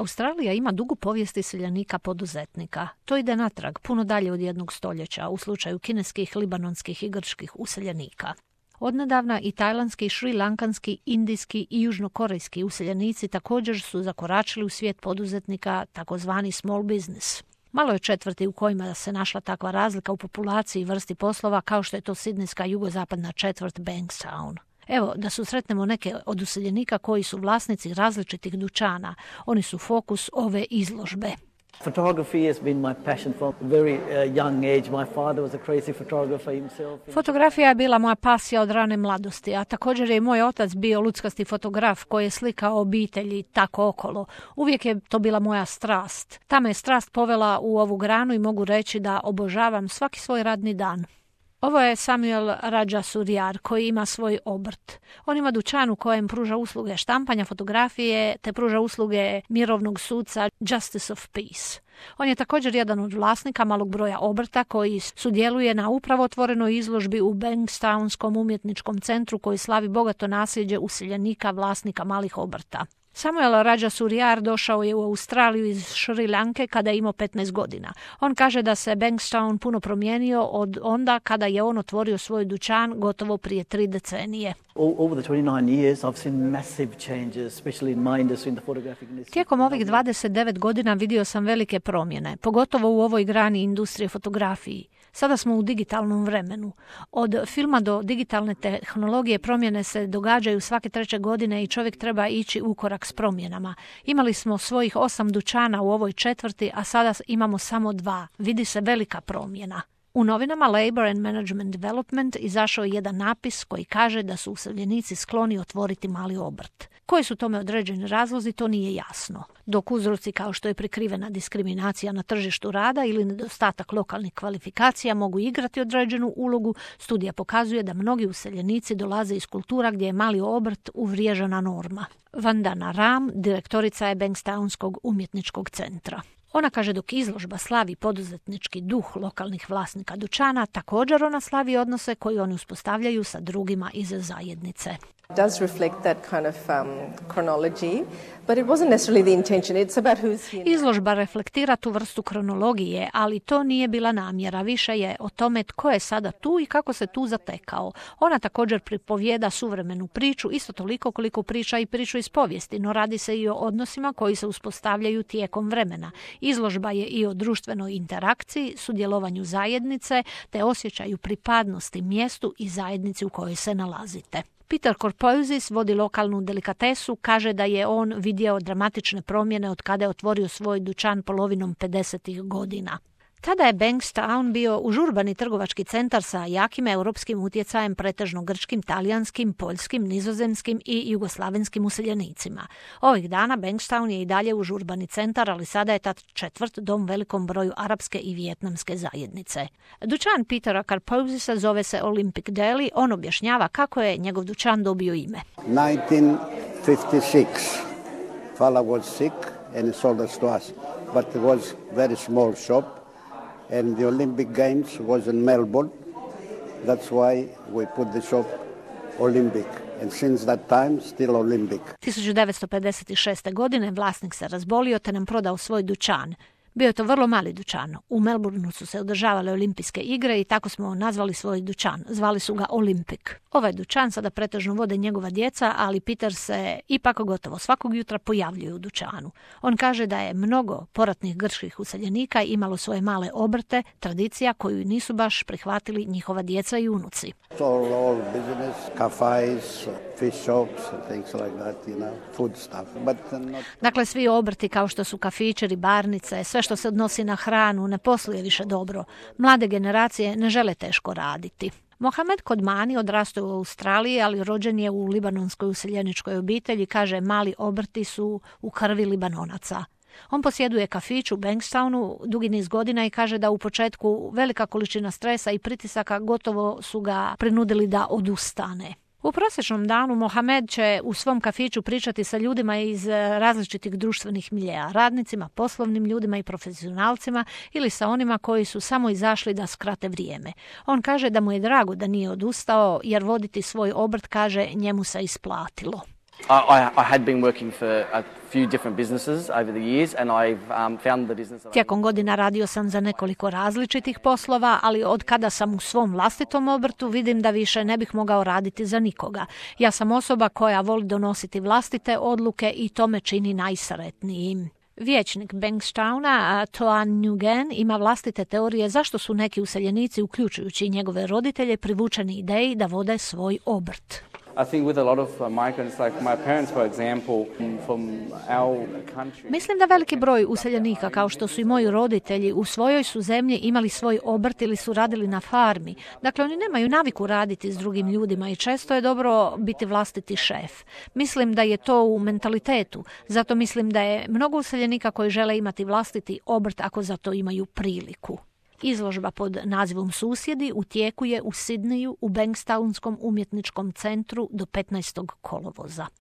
Australija ima dugu povijest iseljenika poduzetnika. To ide natrag, puno dalje od 1 stoljeća u slučaju kineskih, libanonskih i grčkih useljenika. Odnedavna i tajlandski, šrilankanski, indijski i južnokorejski useljenici također su zakoračili u svijet poduzetnika, takozvani small business. Malo je četvrti u kojima se našla takva razlika u populaciji i vrsti poslova kao što je to sidnejska jugozapadna četvrt Bankstown. Evo, da susretnemo neke od useljenika koji su vlasnici različitih dućana. Oni su fokus ove izložbe. Photography has been my passion from a very young age. My father was a crazy photographer himself. Fotografija je bila moja pasija od rane mladosti, a također je i moj otac bio luckasti fotograf koji je slikao obitelji tako okolo. Uvijek je to bila moja strast. Ta me je strast povela u ovu granu i mogu reći da obožavam svaki svoj radni dan. Ovo je Samuel Rajasuriyar koji ima svoj obrt. On ima dućan u kojem pruža usluge štampanja fotografije te pruža usluge mirovnog suca Justice of Peace. On je također jedan od vlasnika malog broja obrta koji sudjeluje na upravo otvorenoj izložbi u Bankstownskom umjetničkom centru koji slavi bogato nasljeđe useljenika vlasnika malih obrta. Samuel Rajasuriyar došao je u Australiju iz Šri Lanke kada je imao 15 godina. On kaže da se Bankstown puno promijenio od onda kada je on otvorio svoj dućan gotovo prije 3 decenije. Tijekom ovih 29 godina vidio sam velike promjene, pogotovo u ovoj grani industrije fotografiji. Sada smo u digitalnom vremenu. Od filma do digitalne tehnologije promjene se događaju svake 3 godine i čovjek treba ići u korak s promjenama. Imali smo svojih 8 dućana u ovoj četvrti, a sada imamo samo 2. Vidi se velika promjena. U novinama Labor and Management Development izašao je jedan napis koji kaže da su useljenici skloni otvoriti mali obrt. Koji su tome određeni razlozi, to nije jasno. Dok uzroci kao što je prikrivena diskriminacija na tržištu rada ili nedostatak lokalnih kvalifikacija mogu igrati određenu ulogu, studija pokazuje da mnogi useljenici dolaze iz kultura gdje je mali obrt uvriježena norma. Vandana Ram, direktorica je Bankstownskog umjetničkog centra. Ona kaže dok izložba slavi poduzetnički duh lokalnih vlasnika dućana, također ona slavi odnose koje oni uspostavljaju sa drugima iz zajednice. Does reflect that kind of chronology, but it wasn't necessarily the intention. It's about who's here. Izložba reflektira tu vrstu kronologije, ali to nije bila namjera. Više je o tome tko je sada tu i kako se tu zatekao. Ona također pripovijeda suvremenu priču, isto toliko koliko priča i priču iz povijesti, no radi se i o odnosima koji se uspostavljaju tijekom vremena. Izložba je i o društvenoj interakciji, sudjelovanju zajednice, te osjećaju pripadnosti mjestu i zajednici u kojoj se nalazite. Peter Korpouzis vodi lokalnu delikatesu, kaže da je on vidio dramatične promjene od kada je otvorio svoj dućan polovinom 50. godina. Tada je Bankstown bio užurbani trgovački centar sa jakim europskim utjecajem, pretežno grčkim, talijanskim, poljskim, nizozemskim i jugoslavenskim useljenicima. Ovih dana Bankstown je i dalje užurbani centar, ali sada je ta četvrt dom velikom broju arapske i vijetnamske zajednice. Dućan Petera Karpouzisa zove se Olympic Deli. On objašnjava kako je njegov dućan dobio ime. 1956. Fala was sick and he sold us to us, but it was very small shop. And the Olympic Games was in Melbourne. That's why we put the shop Olympic. And since that time, still Olympic. 1956. godine vlasnik se razbolio te nam prodao svoj dućan. Bio je to vrlo mali dućan. U Melbourneu su se održavale olimpijske igre i tako smo nazvali svoj dućan. Zvali su ga Olympic. Ovaj dućan sada pretežno vode njegova djeca, ali Peter se ipak gotovo svakog jutra pojavljuje u dućanu. On kaže da je mnogo poratnih grčkih useljenika imalo svoje male obrte, tradicija koju nisu baš prihvatili njihova djeca i unuci. All business, cafes, fish shops and things like that, food stuff. But not... Dakle, svi obrti kao što su kafići, ribarnice, sve što se odnosi na hranu ne posluje više dobro. Mlade generacije ne žele teško raditi. Mohamed Kodmani odrastao u Australiji, ali rođen je u libanonskoj useljeničkoj obitelji, kaže mali obrti su u krvi Libanonaca. On posjeduje kafić u Bankstownu dugi niz godina i kaže da u početku velika količina stresa i pritisaka gotovo su ga prinudili da odustane. U prosječnom danu Mohamed će u svom kafiću pričati sa ljudima iz različitih društvenih miljeja, radnicima, poslovnim ljudima i profesionalcima ili sa onima koji su samo izašli da skrate vrijeme. On kaže da mu je drago da nije odustao jer voditi svoj obrt, kaže, njemu se isplatilo. I had been working for a few different businesses over the years and I've found the business... Tijekom godina radio sam za nekoliko različitih poslova, ali od kada sam u svom vlastitom obrtu vidim da više ne bih mogao raditi za nikoga. Ja sam osoba koja voli donositi vlastite odluke i to me čini najsretnijim. Vijećnik Bankstowna, Toan Nguyen, ima vlastite teorije zašto su neki useljenici, uključujući njegove roditelje, privučeni ideji da vode svoj obrt. I think with a lot of migrants, like my parents, for example, from our country... Mislim da veliki broj useljenika, kao što su i moji roditelji, u svojoj su zemlji imali svoj obrt ili su radili na farmi. Dakle, oni nemaju naviku raditi s drugim ljudima i često je dobro biti vlastiti šef. Mislim da je to u mentalitetu. Zato mislim da je mnogo useljenika koji žele imati vlastiti obrt ako za to imaju priliku. Izložba pod nazivom Susjedi u tijeku je u Sidneju u Bankstownskom umjetničkom centru do 15. kolovoza.